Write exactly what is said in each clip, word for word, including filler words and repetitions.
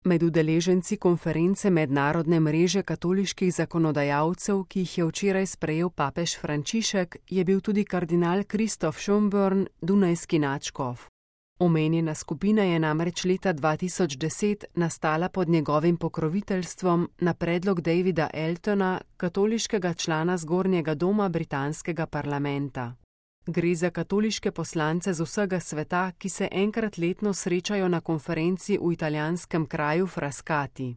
Med udeleženci konference Mednarodne mreže katoliških zakonodajalcev, ki jih je včeraj sprejel papež Frančišek, je bil tudi kardinal Kristof Schönborn, dunajski nadškof. Omenjena skupina je namreč leta dva tisoč deset nastala pod njegovim pokroviteljstvom na predlog Davida Eltona, katoliškega člana zgornjega doma britanskega parlamenta. Gre za katoliške poslance z vsega sveta, ki se enkrat letno srečajo na konferenci v italijanskem kraju Frascati.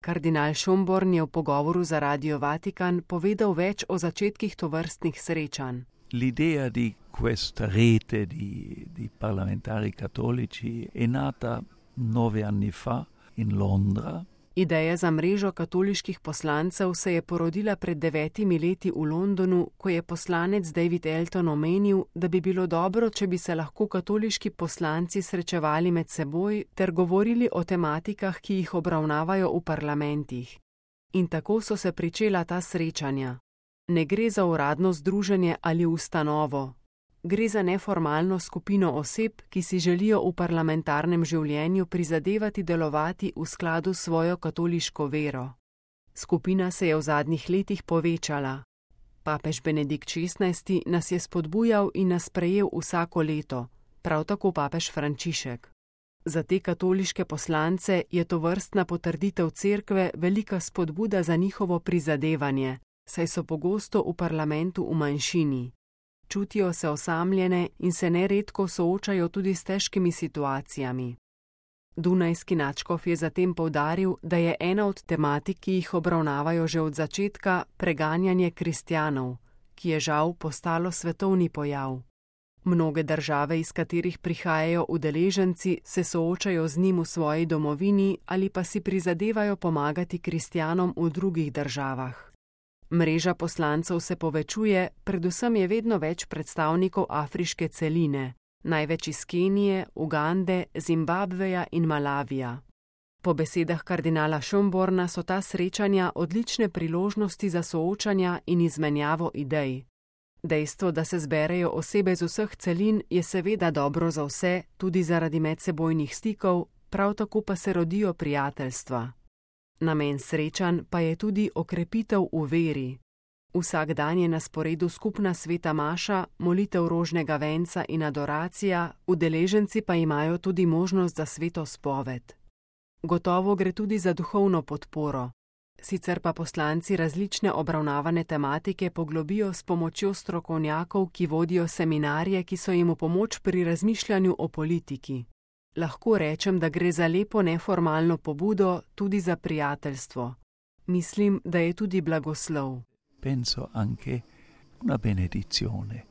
Kardinal Schönborn je v pogovoru za Radio Vatikan povedal več o začetkih tovrstnih srečanj. L'idea di questa rete di, di parlamentari cattolici è nata nove anni fa in Londra. Ideja za mrežo katoliških poslancev se je porodila pred devetimi leti v Londonu, ko je poslanec David Elton omenil, da bi bilo dobro, če bi se lahko katoliški poslanci srečevali med seboj ter govorili o tematikah, ki jih obravnavajo v parlamentih. In tako so se pričela ta srečanja. Ne gre za uradno združenje ali ustanovo. Gre za neformalno skupino oseb, ki si želijo v parlamentarnem življenju prizadevati delovati v skladu s svojo katoliško vero. Skupina se je v zadnjih letih povečala. Papež Benedikt šestnajsti nas je spodbujal in nas sprejel vsako leto, prav tako papež Frančišek. Za te katoliške poslance je tovrstna potrditev cerkve velika spodbuda za njihovo prizadevanje, saj so pogosto v parlamentu v manjšini. Čutijo se osamljene in se neredko soočajo tudi s težkimi situacijami. Dunajski nadškof je zatem poudaril, da je ena od tematik, ki jih obravnavajo že od začetka, preganjanje kristjanov, ki je žal postalo svetovni pojav. Mnoge države, iz katerih prihajajo udeleženci, se soočajo z njim v svoji domovini ali pa si prizadevajo pomagati kristjanom v drugih državah. Mreža poslancev se povečuje, predvsem je vedno več predstavnikov afriške celine, največ iz Kenije, Ugande, Zimbabveja in Malavija. Po besedah kardinala Schönborna so ta srečanja odlične priložnosti za soočanja in izmenjavo idej. Dejstvo, da se zberejo osebe z vseh celin, je seveda dobro za vse, tudi zaradi medsebojnih stikov, prav tako pa se rodijo prijateljstva. Namen srečanj pa je tudi okrepitev v veri. Vsak dan je na sporedu skupna sveta maša, molitev rožnega venca in adoracija, udeleženci pa imajo tudi možnost za sveto spoved. Gotovo gre tudi za duhovno podporo. Sicer pa poslanci različne obravnavane tematike poglobijo s pomočjo strokovnjakov, ki vodijo seminarje, ki so jim v pomoč pri razmišljanju o politiki. Lahko rečem, da gre za lepo neformalno pobudo, tudi za prijateljstvo. Mislim, da je tudi blagoslov. Penso anche una benedizione.